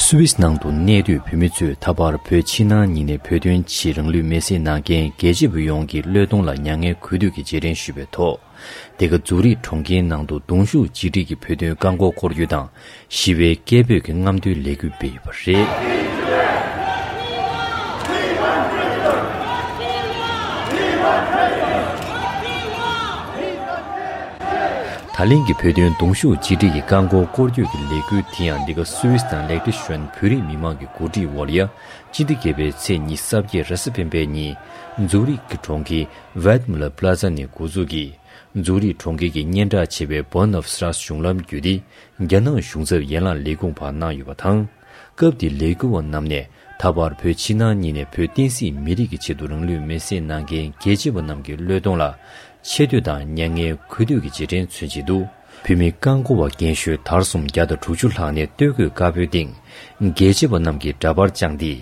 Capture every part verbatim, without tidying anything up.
སུད་སིའི་ནང་དུ་གནས་སྡོད་བོད་མི་ཚོས་ད་བར་བོད་ཕྱི་ནང་གཉིས་ནས་བོད་དོན་ཆེད་རང་ལུས་མེར་སྲེག་གནང་མཁན་རྒྱལ་གཅེས་པ་ཡོངས་ཀྱི་བློས་གཏོང་ལ་མྱ་ངན་གུས་འདུད་ཀྱི་རྗེས་དྲན་ཞུས་པའི་ཐོག་དེ་ག་ཛུ་རིག་གྲོང་ཁྱེར་ནང་དུ་གདུང་ཤུགས་གཅིག་སྒྲིལ་གྱིས་བོད་དོན་བཀག་འགོག་སྐོར་སྐྱོད་དང་ཞི་བའི་སྐད་འབོད་ཀྱི་རྔམ་སྟོན་ལས་འགུལ་སྤེལ་ཡོད་པ་རེད། ད་ལན་གྱི་བོད་དོན་གདུང་ཤུགས་གཅིག་སྒྲིལ་གྱི་བཀག་འགོག་སྐོར་སྐྱོད་ཀྱི་ལས་འགུལ་དེ་ཡང་འདི་ག་སུད་སི་དང་ལེག་ཏེ་ཤོན་བོད་རིགས་མི་མང་གི་གོ་སྒྲིག་འོག་ལ་ཡ། སྤྱི་ཟླ་བརྒྱད་པའི་ཚེས་ཉི་ཤུ་རྩ་བརྒྱད་རེས་གཟའ་སྤེན་པའི་ཉིན། ཛུ་རིག་གི་གྲོང་ཁྱེར་ཝེད་མུ་ལར་པ་ལ་ཛ་ནས་འགོ་འཛུགས་ཀྱིས། ཛུ་རིག་གྲོང་ཁྱེར་གྱི་སྙན་གྲགས་ཆེ་བའི་Bund of Stars གཞུང་ལམ་བརྒྱུད་དེ། རྒྱ་ནག་གཞུང་ཚབ་ཡན་ལག་ལས་ཁུངས་བར་གནང་ཡོད་པ་དང་། སྐབས་དེའི་ལས་འགུལ་བ་རྣམས་ནས་ད་བར་བོད་ཕྱི་ནང་གཉིས་ནས་བོད་བསྟན་སྲིད་མི་རིགས་ཀྱི་ཆེད་དུ་རང་ལུས་མེར་སྲེག་གནང་མཁན་རྒྱལ་གཅེས་པ་རྣམས་ཀྱི་བློས་གཏོང་ལ་ཆེ་བསྟོད་དང་མྱ་ངན་གུས་འདུད་ཀྱི་རྗེས་དྲན་མཚོན་བྱེད་དུ། བོད་མི་བཀག་འགོག་པ་རྒན་ཤོས་དར་གསུམ་བརྒྱ་དང་དྲུག་ཅུ་ལྷག་ནས་སྟོད་གོས་དཀར་པོའི་སྟེང་། རྒྱལ་གཅེས་པ་རྣམས་ཀྱི་འདྲ་པར་བཅངས་ཏེ།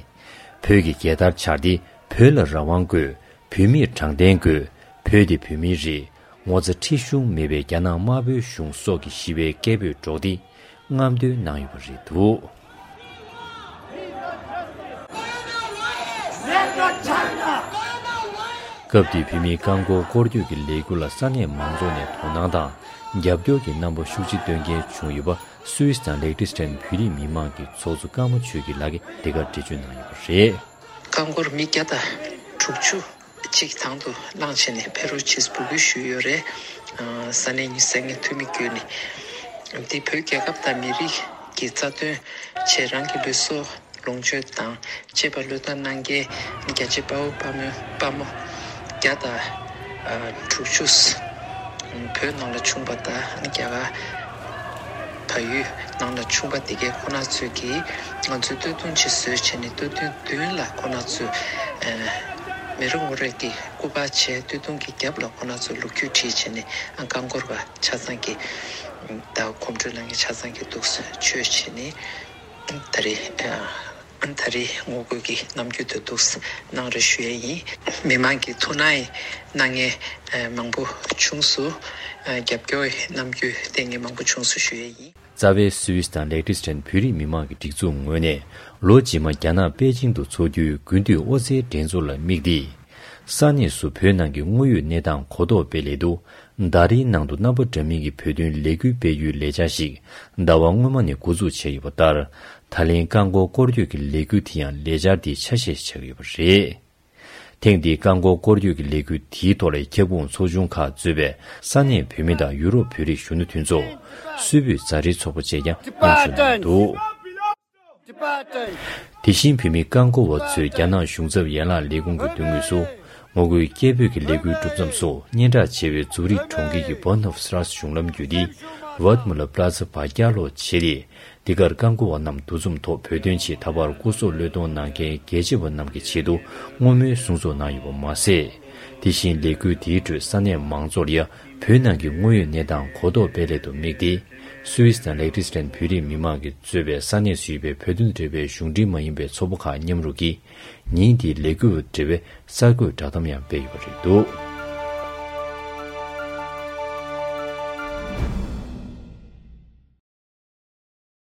བོད་ཀྱི་རྒྱལ་དར་འཕྱར་ཏེ། བོད་ལ་རང་དབང་དགོས། བོད་མིར་དྲང་བདེན་དགོས། བོད་དེ་བོད་མིའི་རེད། ངོ་ཚ་ཁྲེལ་གཞུང་མེད་པའི་རྒྱ་ནག་དམར་པོའི་གཞུང་སོགས་ཀྱི་ཞི་བའི་སྐད་འབོད་སྒྲོག་སྟེ་རྔམ་སྟོན་གནང་ཡོད་པ་རེད་འདུག། སྐབས་དེའི་བོད་མིའི་བཀག་འགོག་སྐོར་སྐྱོད་ཀྱི་ལས་འགུལ་ལ་ས་གནས་མང་ཚོགས་ནས་དོ་སྣང་དང་རྒྱབ་སྐྱོར་གྱི་རྣམ་པ་ཤུགས་ཆེ་སྟོན་མཁན་བྱུང་ཡོད་པ། སུད་སི་དང་ལེག་ཏེ་ཤོན་བོད་རིགས་མི་མང་གི་ཚོགས་གཙོ་ཀརྨ་ཆོས་སྐྱིད་ལགས་ཀྱིས་འདི་གར་འགྲེལ་བརྗོད་གནང་ཡོད་པ་རེད། རྐང་འཁོར་མི་བརྒྱ་དང་དྲུག་ཅུ་གཅིག་དང་དུ་བླངས་བྱས་ནས་ཕེབས་རོགས་ཞེས་འབོད་སྐུལ་ཞུས་ཡོད་རེད། ཨ། ས་གནས་ཉི་ཤུ་རྩ་ལྔའི་འཐུས་མི་བརྒྱུད་ནས། འདི་བོད་རྒྱལ་ཁབ་དང་མི་རིགས་ཀྱི་རྩ་དོན་ཆེད་རང་གི་ལུས་སྲོག་ལོངས་སྤྱོད་དང་བཅས་པ་བློས་བཏང་གནང་མཁན་རྒྱལ་གཅེས་དཔའ་བོ་དཔའ་མོ་དཔའ་མོ་བརྒྱ་དང་དྲུག་ཅུ། བོད་ནང་ལ་བྱུང་བ་དང་རྒྱ་གར་བལ་ཡུལ་ནང་ལ་བྱུང་བ་དེ་གའི་ཁོ་ན་ཚོས་ཀྱིས་ང་ཚོའི་སྟོད་ཐུང་ཅིག་བཟོས་བྱས་ནས་སྟོད་ཐུང་མདུན་ལ་ཁོ་ན་ཚོས་མེ་རི་ངོ་རེ་གི་སྐུ་པར་བྱས། སྟོད་ཐུང་གི་རྒྱབ་ལ་ཁོ་ན་ཚོས་ལོ་རྒྱུས་བྲིས་བྱས་ནས་རྐང་འཁོར་བ་ཆ་ཚང་གི་ད་གོམ་བགྲོད་གནང་མཁན་ཆ་ཚང་གི་འདུག་སེ་བྱས་བྱས་ནས་ད་རེས། ད་རེས་ངོ་རྒོལ་གྱི་རྣམ་འགྱུར་དེ་འདུག་གནང་རེ་ཞུ་ཡས་ཡིན། མི་མང་གི་ཐུགས་སྣང་གནང་མཁན་མང་པོ་བྱུང་སོང་། རྒྱབ་སྐྱོར་གནང་རྒྱུ་བསྟན་མཁན་མང་པོ་བྱུང་སོང་ཞུ་ཡས་ཡིན། རྩ་བའི་སུད་སི་དང་ལེག་ཏེ་ཤོན་བོད་རིགས་མི་མང་གི་སྒྲིག་འཛུགས་ངོས་ནས་ལོ་རྗེས་མ་རྒྱ་ནག་པེ་ཅིང་དུ་འཚོགས་རྒྱུའི་དགུན་དུས་ཨོ་རྩལ་འགྲན་ཚོགས་ལ་དམིགས་ཏེ། ས་གནས་སུ་བོད་ནང་གི་དངོས་ཡོད་གནས་སྟངས་གོ་རྟོགས་སྤེལ་སླད་དུ། ཟླ་རེའི་ནང་དུ་རྣམ་པ་འདྲ་མིན་གྱི་བོད་དོན་ལས་འགུལ་སྤེལ་རྒྱུའི་ལས་འཆར་ཞིག་ཟླ་བ་སྔོན་མ་ནས་འགོ་འཛུགས་བྱས་ཡོད་པ་ལྟར། ད་ལན་བཀག་འགོག་སྐོར་སྐྱོད་ཀྱི་ལས་འགུལ་དེ་ཡང་ལས་འཆར་དེའི་ཆ་ཤས་ཆགས་ཡོད་པ་རེད། ཐེངས་འདིའི་བཀག་འགོག་སྐོར་སྐྱོད་ཀྱི་ལས་འགུལ་དེའི་ཐོག་ལ་ཁྱབ་ཁོངས་ཚོགས་ཆུང་ཁག་གཙོས་པའི་ས་གནས་བོད་མི་དང་ཡུ་རོབ་བོད་རིགས་གཞོན་ནུ་མཐུན་ཚོགས། སུད་བོད་མཛའ་འབྲེལ་ཚོགས་པ་བཅས་ཀྱང་མཉམ་ཞུགས་གནང་འདུག། དེ་བཞིན་བོད་མི་བཀག་འགོག་པ་ཚོས་རྒྱ་ནག་གཞུང་ཚབ་ཡན་ལག་ལས་ཁུངས་ཀྱི་མདུན་ངོས་སུ། ངོ་རྒོལ་སྐད་འབོད་ཀྱི་ལས་འགུལ་གྲུབ་མཚམས་སུ་སྙན་གྲགས་ཆེ་བའི་ཛུ་རིག་གྲོང་ཁྱེར་གྱི་Bund of Stars གཞུང་ལམ་བརྒྱུད་དེ། Waldmüller Plaza བར་བརྒྱ་ལྷོ་བྱས་ཏེ། འདི་གར་བཀག་འགོག་པ་རྣམས་འདུ་འཛོམས་ཐོག་བོད་དོན་ཆེད་ད་བར་སྐུ་སྲོག་བློས་གཏོང་གནང་མཁན་རྒྱལ་གཅེས་པ་རྣམས་ཀྱི་ཆེད་དུ་བསྔོ་སྨོན་གསུང་ཚོགས་གནང་ཡོད་པ་མ་ཟད། དེ་བཞིན་ལས་འགུལ་དེའི་ཁྲོད་ས་གནས་མང་ཚོགས་ལ་ཡ་བོད་ནང་གི་དངོས་ཡོད་གནས་སྟངས་གོ་རྟོགས་སྤེལ་སླད་དུ་དམིགས་ཏེ། སུད་སི་དང་ལེག་ཏེ་ཤོན་བོད་རིགས་མི་མང་གིས་གཙོས་པའི་ས་གནས་སུ་ཡོད་པའི་བོད་དོན་འབྲེལ་བའི་གཞུང་འབྲེལ་མ་ཡིན་པའི་ཚོགས་པ་ཁག་མཉམ་རུབ་ཀྱིས། ཉིན་དེའི་ལས་འགུལ་དང་འབྲེལ་བའི་གསར་འགོད་བསྒྲགས་གཏམ་ཡང་སྤེལ་ཡོད་པ་རེད་འདུག།